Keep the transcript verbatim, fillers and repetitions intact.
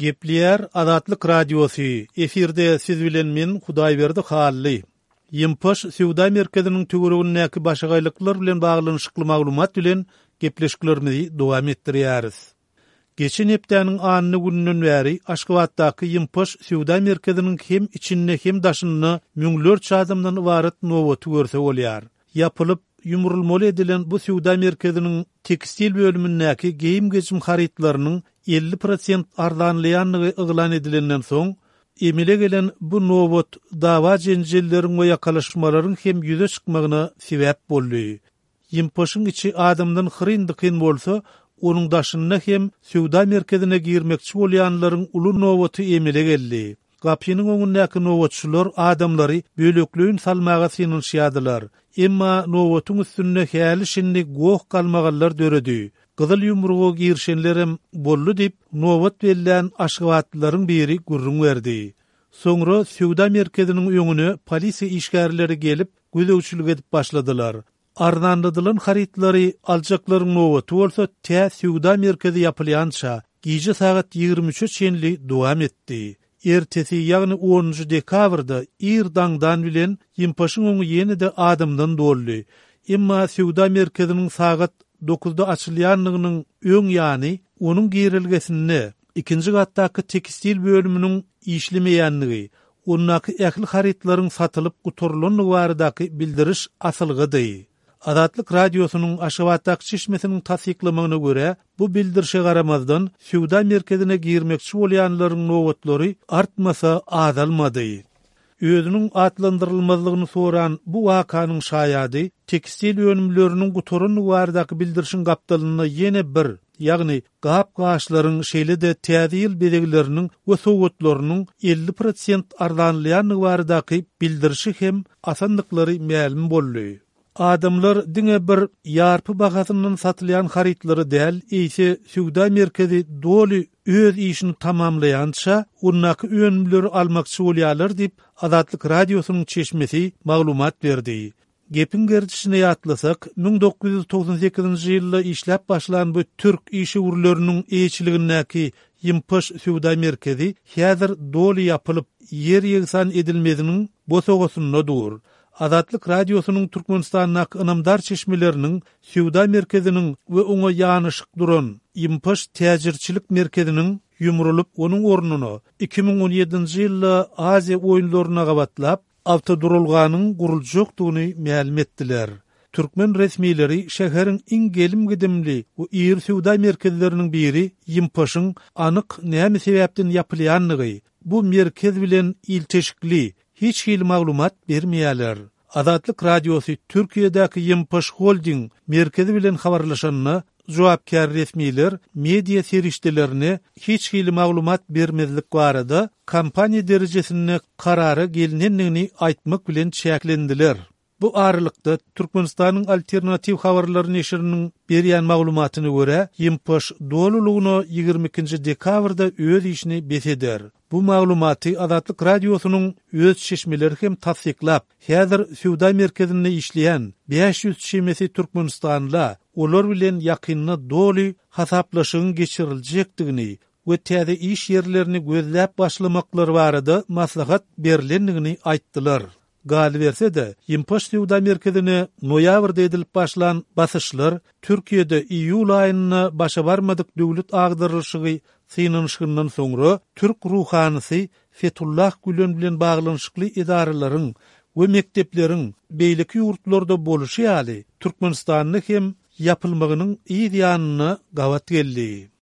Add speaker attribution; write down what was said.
Speaker 1: Gepleýär Azatlyk Radiosy, efirde siz bilen men Hudaýberdi Hally. Ýympaş söwda merkeziniň töweregindäki başagaýlyklar bilen baglanyşykly maglumat bilen gepleşiklerimizi dowam etdirýäris. Geçen hepdäniň anna gününden bäri Aşgabatdaky Ýympaş söwda merkeziniň hem içinde hem daşynda müňlerçe adamdan ybarat nobaty görse bolýar. Ýapylyp, ýumrulmaly edilen bu söwda merkeziniň tekstil bölümindäki geýim-gejim harytlarynyň elli prosent arzanlaýandygy yglan edilenden soň, emele gelen bu nobat dawa-jenjelleriň we ýakalaşmalaryň hem ýüze çykmagyna sebäp boldy. Ýympaşyň içi adamdan hyryn-dykyn bolsa, onuň daşynda hem söwda merkezine girmekçi bolýanlaryň uly nobaty emele geldi. Gapynyň öňündäki nobatçylar adamlary bölekleýin salmaga synanyşýardylar. Emma nobatyň üstünde häli-şindi goh-galmagallar döredi. Gyzyl ýumruga girişenlerem boldy diýip, nobat bellän aşgabatlylaryň biri gürrüň berdi. Soňra söwda merkeziniň öňüne polisiýa işgärleri gelip, gözegçilik edip başladylar. Arzanladylan harytlary aljaklaryň nobaty bolsa tä söwda merkezi ýapylýança, gije sagat ýigrimi üçe çenli dowam etdi. Ertesi, ýagny onunjy dekabrda ir daňdan bilen Ýympaşyň öňi ýene-de adamdan doldy. Emma söwda merkeziniň sagat dokuzda açylýanlygynyň öň ýany onuň girelgesinde ikinji gatdaky tekstil bölüminiň işlemeýänligi, ondaky ähli harytlaryň satylyp gutarylandygy baradaky bildiriş asylgydy. Azatlyk Radiosynyň Aşgabatdaky çeşmesiniň tassyklamagyna görä, bu bildirişe garamazdan, söwda merkezine girmekçi bolýanlaryň nobatlary artmasa azalmady. Özüniň atlandyrylmazlygyny soran bu wakanyň şaýady tekstil önümleriniň gutarandygy baradaky bildirişiň gapdalynda ýene bir, ýagny gap-gaçlaryň, şeýle-de täze ýyl bezegleriniň we sowgatlarynyň elli prosent arzanlaýandygy baradaky bildirişi hem asandyklary mälim boldy. Adamlar diňe bir ýarpy bahasyndan satylýan harytlary däl, eýse söwda merkezi doly öz işini tamamlaýança, ondaky önümleri almakçy bolýarlar diýip, Azatlyk Radiosynyň çeşmesi maglumat berdi. Gepiň gerdişine ýatlasak, müň dokuz ýüz togsan sekizinji ýylda işläp başlan bu türk işewürleriniň eýeçiligindäki Ýympaş söwda merkezi häzir doly ýapylyp, ýer ýegsan edilmeziniň bosagasynda dur. Azatlyk Radiosynyň Türkmenistandaky ynamdar çeşmeleriniň söwda merkeziniň we oňa ýanaşyk duran Ýympaş täjirçilik merkeziniň ýumrulyp, onuň ornuna iki müň on ýedinji ýylda Aziýa oýunlaryna gabatlap, awtoduralganyň guruljakdygyny mälim etdiler. Türkmen resmileri şäheriň iň gelim-gidimli we iri söwda merkezleriniň biri Ýympaşyň anyk näme sebäpden ýapylýandygy, bu merkez bilen ilteşikli hiç hili maglumat bermeýärler. Azatlyk Radiosy Türkiýedäki Ýympaş Holding merkezi bilen habarlaşanda, jogapkär resmiler media serişdelerine hiç hili maglumat bermezlik barada kompaniýa derejesinde karara gelinendigini aýtmak bilen çäklendiler. Bu aralykda Türkmenistanyň Alternatiw habarlary neşiriniň berýän maglumatyna görä, Ýympaş dolulygyna ýigrimi ikinji dekabrda öz işini bes eder. Bu maglumaty Azatlyk Radiosynyň öz çeşmeleri hem tassyklap, häzir söwda merkezinde işleýän bäş ýüz çemesi türkmenistanla olar bilen ýakynda doly hasaplaşygyň geçiriljekdigini we täze iş ýerlerini gözläp başlamaklary barada maslahat berlendigini aýtdylar. Galyberse-de, Ýympaş söwda merkezine noýabrda edilip başlan basyşlar Türkiýede iýul aýynda başa barmadyk döwlet agdarylyşygy synanyşygyndan soňra türk ruhanysy Fethullah Gülen bilen baglanyşykly edaralaryň we mekdepleriň beýleki ýurtlarda boluşy ýaly Türkmenistanda hem ýapylmagynyň yz ýanyna gabat geldi.